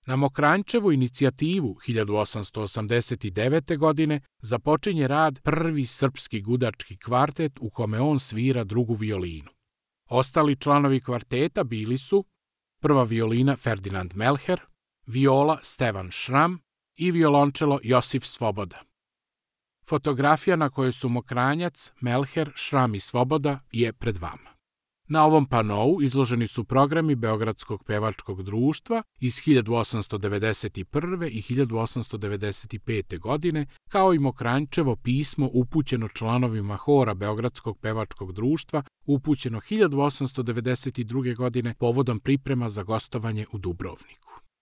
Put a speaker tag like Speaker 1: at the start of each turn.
Speaker 1: Na Mokranjčevu inicijativu 1889. godine započinje rad prvi srpski gudački kvartet u kome on svira drugu violinu. Ostali članovi kvarteta bili su prva violina Ferdinand Melher, viola Stevan Šram i violončelo Josif Svoboda. Fotografija na kojoj su Mokranjac, Melher, Šram i Svoboda je pred vama. Na ovom panou izloženi su programi Beogradskog pevačkog društva iz 1891. i 1895. godine, kao i Mokranjčevo pismo upućeno članovima hora Beogradskog pevačkog društva, upućeno 1892. godine povodom priprema za gostovanje u Dubrovniku.